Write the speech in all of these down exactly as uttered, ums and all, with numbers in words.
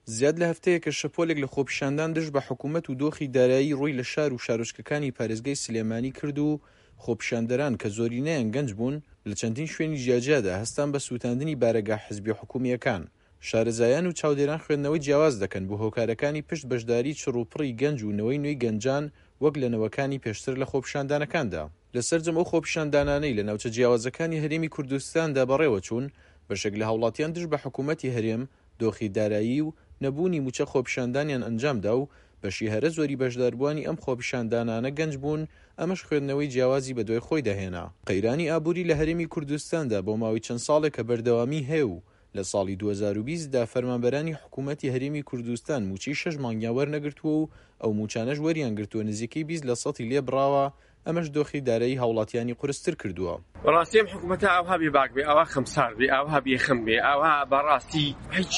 زیاد لە هەفتەیەکە شەپۆلێک لە خۆپیشاندان دژ بە حکوومەت و دۆخی دارایی ڕووی لە شار و شارۆچکەکانی پارێزگای سلێمانی کرد و خۆپیشاندەران کە زۆرینەیان گەنج بوون لە چەندین شوێنی جیاجیادا هەستان بە سووتاندنی بارەگا حزبی حکومییەکان. شارەزایان و چاودێران خوێندنەوەی جیاواز دەکەن بۆ هۆکارەکانی پشت بەشداری چڕ و پڕی گەنج و نەوەی نوێی گەنجان وەک لە نەوەکانی پێشتر لە خۆپیشاندانەکاندا. لە سەرجەم ئەو خۆپیشاندانانەی لە ناوچە جیاوازەکانی هەرێمی کوردستاندا بەڕێوەچوون، بەشێک لە هاوڵاتیان دژ بە حکوومەتی هەرێم، دۆخی دارایی و نەبوونی مووچە خۆپیشاندانیان ئەنجامدا و بەشی هەرە زۆری بەشداربووانی ئەم خۆپیشاندانانە گەنج بوون، ئەمەش خوێندنەوەی جیاوازی بەدوای خۆیدا هێنا. قەیرانی ئابووری لە هەرێمی کوردستاندا بۆ ماوەی چەند ساڵێکە بەردەوامی هەیە و لە ساڵی دوو هەزار و بیست دا فەرمانبەرانی حکوومەتی هەرێمی کوردستان مووچەی شەش مانگیان وەرنەگرتووە و ئەو مووچانەش وەریان گرتووە نزیکەی بیست لە سەتی لێ بڕاوە، ئەمەش دۆخی دارایی هاوڵاتیانی قورستر کردووە. بەڕاستی ئەم حکوومەتە ئاوها بێباک بێ، ئاوها خەمسارد بێ، ئاوها بێخەم بێ، ئاوها بەڕاستی هیچ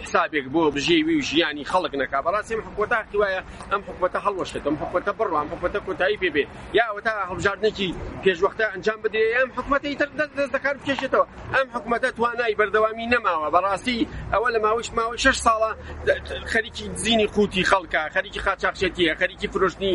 حسابێک بۆ بژێوی و ژیانی خەڵک نەکا. بەڕاستی ئەم حکوومەتە حەقی وایە ئەم حکوومەتە هەڵوەشێت، ئەم حکوومەتە بڕوا، ئەم حکوومەتە کۆتایی پێ بێ، یا ئەوەتا هەڵبژاردنێکی پێشوەختە ئەنجام بدرێ، ئەم حکوومەتە ئیتر دەست دەست دەکار بکێشێتەوە. ئەم حکوومەتە توانای بەردەوامی نەماوە. بەڕاستی ئەوە لە ماوەی ماوەی شەش ساڵە خەریکی دزینی قوتی خەڵکە، خەریکی قاچاخچێتیە، خەریکی فرۆشتنی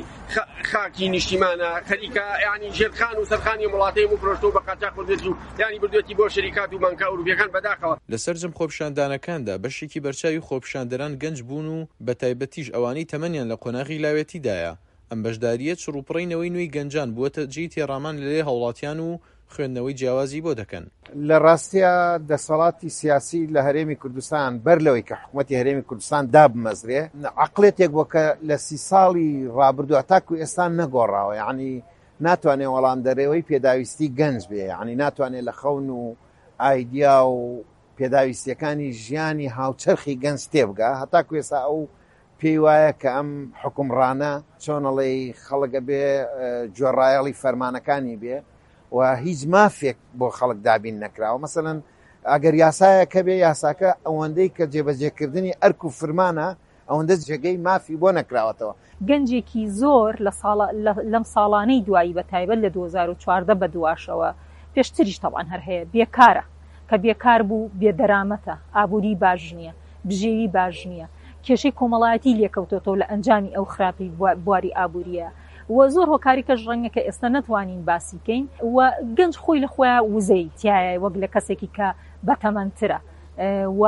خاکی نیشتیمانە، خەریکە یعنی ژێرخان و سەرخانی وڵاتەی و فرۆشتەوە بە قاچاخ کردێتی و یعنی بردوێتی بۆ شەریکات و بانکە ئەوروپیەکان. بەداخەوە لە سەرجەم خۆپیشاندانەکاندا بەشێکی بەرچاوی خۆپیشاندەران گەنج بوون و بە تایبەتیش ئەوانەی تەمەنیان لە قۆناغی لاوێتیدایە. ئەم بەشداریە چڕوپڕی نەوەی نوێی گەنجان بووەتە جێی تێڕامان لەلای هاوڵاتیان و خوێندنەوەی جیاوازی بۆ دەکەن. لە ڕاستیە دەسەڵاتی سیاسی لە هەرێمی کوردستان بەر لەوەی کە حکوومەتی هەرێمی کوردستان دابمەزرێ عەقڵێتێک بووە کە لە سی ساڵی ڕابردوو تاکو ئێستا نەگۆڕاوە، یعنی ناتوانێت وەڵام دەرەوەی پێداویستی گەنج بێ، یعنی ناتوانێت لە خەون و ئایدیا و پێداویستیەکانی ژیانی هاوچەرخی گەنج تێبگا. هەتاکو ئێستا ئەو پێی وایە کە ئەم حکومڕانە چۆنەڵێی خەڵک ئەبێ گوێڕایەڵی فەرمانەکانی بێ و هیچ مافێک بۆ خەڵک دابین نەکراوە. مەسەلەن ئەگەر یاسایەکە بێ، یاساکە ئەوەندەی کە جێبەجێکردنی ئەرک و فرمانە ئەوەندە جێگەی مافی بۆ نەکراوەتەوە. گەنجێکی زۆر لەم ساڵانەی دوایی بە تایبەت لە دوو هەزار و چواردە بە دواشەوە، پێشتریش تەبعەن هەر هەیە، بێکارە، کە بێکار بوو بێدەرامەتە، ئابووری باش نییە، بژێوی باش نییە، کێشەی کۆمەڵایەتی لێکەوتۆتەوە لە ئەنجامی ئەو خراپی بواری ئابووریە و زۆر هۆکاری کەش ڕەنگە کە ئێستا نەتوانین باسی کەین. و گەنج خۆی لە خۆیان وزەی تایە وەک لە کەسێکی کە بەتەمەنترە و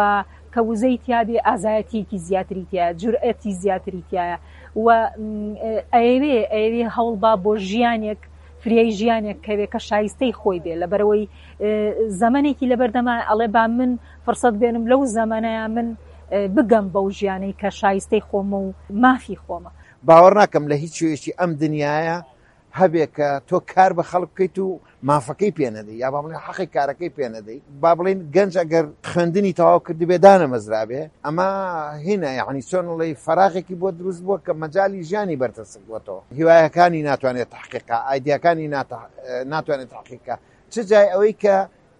کە وزەی تیابێ ئازایەتیەکی زیاتری تایە، جورئەتی زیاتری تایە و ئەیەوێ ئەیەوێ هەوڵبا بۆ ژیانێک، فریای ژیانێک کەوێ کە شایستەی خۆی بێ. لەبەرەوەی زەمەنێکی لەبەردەما ئەڵێ با من فرسەت بێنم لەو زەمەنەیە من بگەم بەو ژیانەی کە شایستەی خۆمە و مافی خۆمە. باوەڕ ناکەم لە هیچ شوێکی ئەم دنیاە هەبێ کە تۆ کار بە خەڵک بکەیت و مافەکەی پێ نەدەی، یا با بڵێن حەقی کارەکەی پێ نەدەی. با بڵێن گەنج ئەگەر خوێندنی تەواو کردبێ دانەمەزرابێ، ئەمە هینە، یعنی چۆن ڵێی فەراغێکی بۆ دروست بووە کە مەجالی ژیانی بەرتەسک بووەتەوە. هیوایەکانی ناتوانێت تحقیقا، ئایدیاکانی ناتوانێت تحقیقا. چ جای ئەوەی کە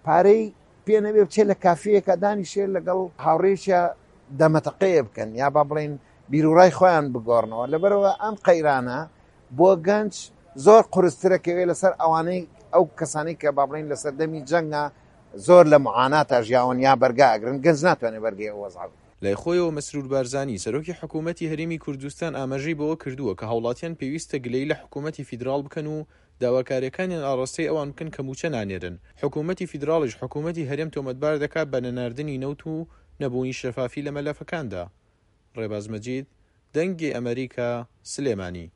پارەی پێ نەبێ بچێت لە کافەیەکە دانیشێ لەگەڵ هاوڕێیەکیا دەمەتەقەیە بکەن، یا با بڵێن بیرروڕای خۆیان بگۆڕنەوە. لەبەرەوە ئەم قەیرانە بۆ گەنج زۆر قورسترەکەوێت لەسەر ئەوانەی ئەو کەسانەی کە با بڵێن لەسەر دەمی جەنگە زۆر لە معاناتا ژیاون یا بەرگا ئەگرن. گەنج ناتوانێت بەرگەی ئەو وەزعە بگرێت. لای خۆیەوە مەسرور بارزانی سەرۆکی حکوومەتی هەرێمی کوردستان ئاماژەی بەوە کردووە کە هاوڵاتیان پێویستە گلەیی لە حکوومەتی فیدراڵ بکەن و داواکاریەکانیان ئاڕاستەی ئەوان بکەن کە مووچە نانێرن. حکوومەتی فیدراڵیش حکوومەتی هەرێم تۆمەتبار دەکات بە نەناردنی نەوت و نەبوونی شەفافی لە مەلەفەکاندا. ڕێباز مەجید، دەنگی ئەمریکا، سلێمانی.